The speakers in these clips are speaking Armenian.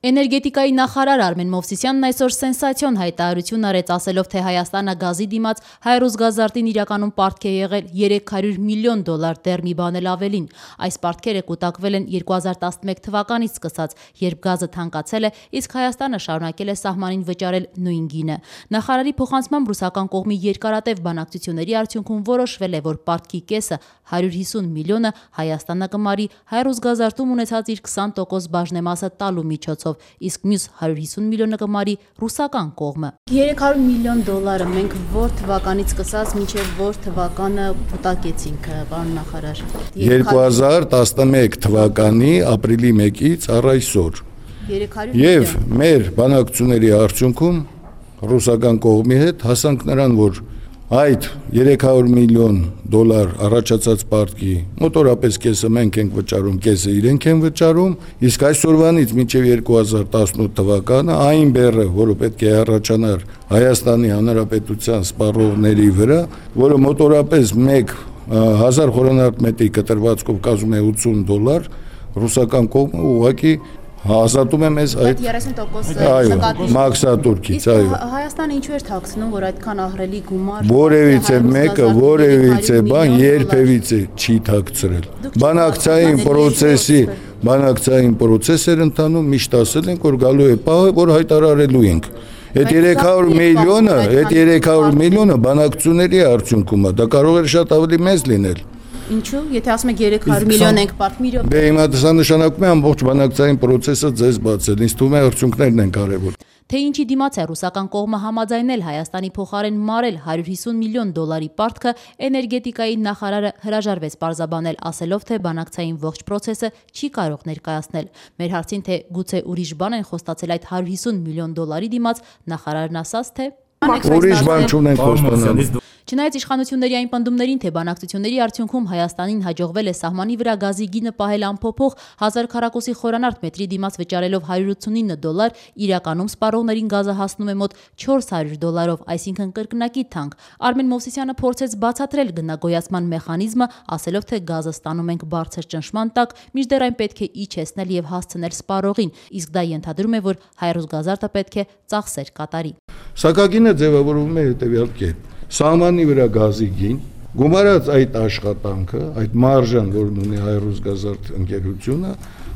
Էներգետիկայի նախարար Արմեն Մովսիսյանն այսօր սենսացիոն հայտարարություն արեց, ասելով, թե Հայաստանը գազի դիմաց Հայ-Ռուսգազարտին իրականում պարտք է եղել $300 միլիոն, դեռ մի բան էլ ավելին։ Այս պարտքերը կուտակվել են 2011 թվականից սկսած, երբ գազը թանկացել է, իսկ Հայաստանը շարունակել է սահմանին վճարել նույն գինը։ Նախարարի փոխանցմամբ ռուսական կողմի երկարատև բանակցությունների արդյունքում որոշվել է, որ պարտքի կեսը $150 միլիոնը Հայաստանը կմարի Հայ-Ռուսգազարտում ունեցած իր 20% բաժնեմասը տալու միջոցով, իսկ մյուս $150 միլիոնը կմարի ռուսական կողմը։ $300 միլիոն մենք որ թվականից սկսած մինչև որ թվականը կուտակեցինք, պարոն նախարար։ 2011 թվականի ապրիլի 1-ից առ այսօր։ Եվ մեր բանակցությունների արդյունքում ռուսական կողմի հետ հասանք նրան, որ այդ $300 միլիոն առաջացած պարտքի մոտորապես կեսը մենք ենք վճարում, կեսը իրենք են վճարում, իսկ այսօրվանից մինչև 2018 թվականը այն բեռը, որը պետք է առաջանար Հայաստանի Հանրապետության սպառողների վրա, որը մոտորապես 1000 խորանարդ կտրվածքով կազմում է $80, ռուսական կողմը ուղղակի ազատում է մեզ այդ 30% մաքսատուրքից, այո։ Հայաստանը ինչու էր թաքցնում, որ այդքան ահռելի գումար որևիցե բան երբևիցե չի թաքցրել։ Բանակցային պրոցես էր ընթանում, միշտ ասել ենք, որ գալու է պահը, որ հայտարարելու ենք։ Այդ 300 միլիոնը բանակցությունների արդյունքում է, դա կարող էր շատ ավելի մեծ լինել։ Ինչու՞, եթե ասում եք 300 միլիոն ենք պարտք, Դե հիմա դա նշանակում է ամբողջ բանակցային պրոցեսը ձեզ բացել, ինձ թվում է արդյունքներն են կարևոր։ Թե ինչի դիմաց է ռուսական կողմը համաձայնել Հայաստանի փոխարեն մարել $150 միլիոն պարտքը, էներգետիկայի նախարարը հրաժարվեց պարզաբանել, ասելով, թե բանակցային ողջ պրոցեսը չի կարող ներկայացնել։ Մեր հարցին, թե գուցե ուրիշ բան են խոստացել այդ $150 միլիոն դիմաց, նախարարն ասաց, թե ուրիշ բան չունենք խոստանում։ Չնայած իշխանությունների այն պնդումներին, թե բանակցությունների արդյունքում Հայաստանին հաջողվել է սահմանի վրա գազի գինը պահել անփոփոխ 1000 քառակուսի խորանարդ մետրի դիմաց վճարելով $189, իրականում սպառողներին գազը հասնում է մոտ $400, այսինքն կրկնակի թանկ։ Արմեն Մովսիսյանը փորձեց բացատրել գնագոյացման մեխանիզմը, ասելով, թե գազը ստանում ենք բարձր ճնշման տակ, մինչդեռ այն պետք է իջեցնել եւ հասցնել սպառողին, իսկ դա ենթադրում է, որ Հայ-Ռուսգազարտը պետք է ծախսեր կատարի։ Սակագինը ձևավորվում է հետեւյալ կերպ. Սահմանի վրա գազի գին, գումարած այդ աշխատանքը, այդ մարժան, որն ունի Հայ-Ռուսգազարդ ընկերությունը,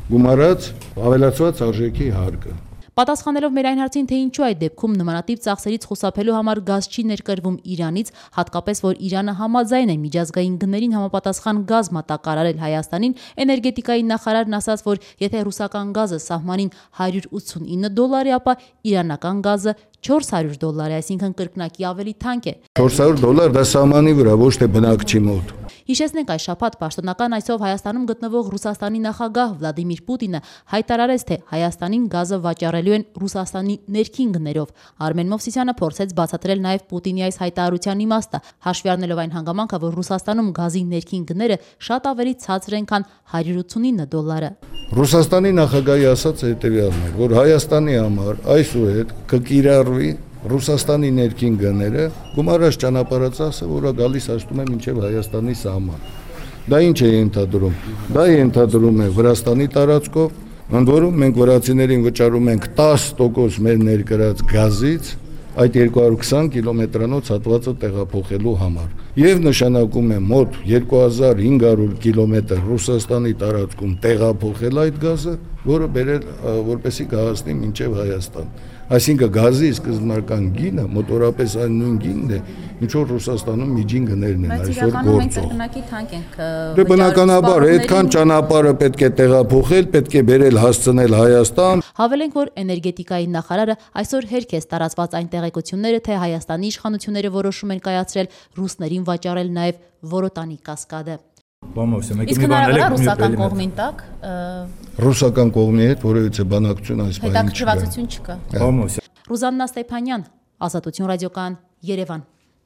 գումարած ավելացված արժեքի հարկը։ Պատասխանելով մեր այն հարցին, թե ինչու այդ դեպքում նմանատիպ ծախսերից խուսափելու համար գազ չի ներկրվում Իրանից, հատկապես որ Իրանը համաձայն է միջազգային գներին համապատասխան գազ մատակարարել Հայաստանին, էներգետիկայի նախարարն ասաց, որ եթե ռուսական գազը սահմանին $189 է, ապա իրանական գազը $400 է, այսինքն կրկնակի ավելի թանկ է։ $400 դա սահմանի վրա, ոչ թե բնակչի մոտ։ Հիշեցնենք, այս շաբաթ պաշտոնական այսով Հայաստանում գտնվող Ռուսաստանի նախագահ Վլադիմիր Պուտինը հայտարարեց, թե Հայաստանին գազը վաճառելու են Ռուսաստանի ներքին գներով։ Արմեն Մովսիսյանը փորձեց բացատրել նաև Պուտինի այս հայտարարության իմաստը, հաշվի առնելով այն հանգամանքը, որ Ռուսաստանում գազի ներքին գները շատ ավելի ցածր են, քան $189։ Ռուսաստանի նախագահի ասած հետևյալն է, որ Հայաստանի համար այսուհետ կկիրառվի Ռուսաստանի ներքին գները, գումարած ճանապարհածախսը, որը գալիս հասնում է մինչև Հայաստանի սահման։ Դա ինչ է ենթադրում։ Դա ենթադրում է Վրաստանի տարածքով, ընդ որում մենք վրացիներին վճարում ենք 10% մեր ներկրած գազից այդ 220 կիլոմետրանոց հատվածը տեղափոխելու համար։ Եվ նշանակում է մոտ 2500 կիլոմետր Ռուսաստանի տարածքում տեղափոխել այդ գազը, որը բերել որպեսի կհասնի մինչև Հայաստան։ Այսինքն գազի սկզբնական գինը մոտորապես այն նույն գինն է, ինչ որ Ռուսաստանում միջին գներն են այսօր գործող։ Դե բնականաբար այդքան ճանապարհը պետք է տեղափոխել, պետք է բերել հասցնել Հայաստան։ Հավելենք, որ էներգետիկայի նախարարը այսօր հերք է տարածված այն տեղեկությունները, թե Հայաստանի իշխանությունները որոշում են կայացրել ռուսներին վաճառել նաև Որոտանի կասկադը։ Իսկ հնարավոր է ռուսական կողմին տակ ռուսական կողմի հետ որևիցե բանակցություն այս բանի չկա։ Հետաքրքրվածություն չկա։ Ռուզաննա Ստեփանյան, Ազատություն ռադիոկայան, Երևան։